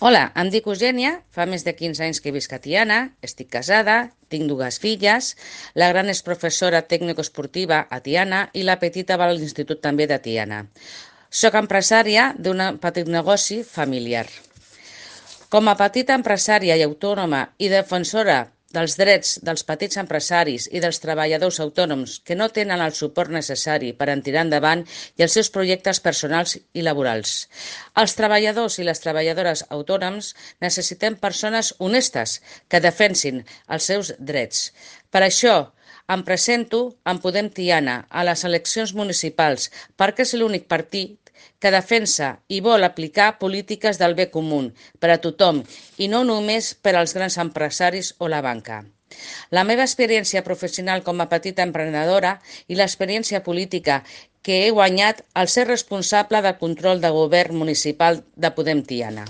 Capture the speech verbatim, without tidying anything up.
Hola, em dic Eugènia, fa més de quinze anys que visc a Tiana, estic casada, tinc dues filles, la gran és professora tècnico-esportiva a Tiana i la petita va a l'institut també de Tiana. Soc empresària d'un petit negoci familiar. Com a petita empresària i autònoma i defensora dels drets dels petits empresaris i dels treballadors autònoms que no tenen el suport necessari per a tirar endavant i els seus projectes personals i laborals. Els treballadors i les treballadores autònoms necessitem persones honestes que defensin els seus drets. Per això, em presento en Podem Tiana a les eleccions municipals perquè és l'únic partit que defensa i vol aplicar polítiques del bé comú per a tothom i no només per als grans empresaris o la banca. La meva experiència professional com a petita emprenedora i l'experiència política que he guanyat al ser responsable del control de govern municipal de Podem Tiana.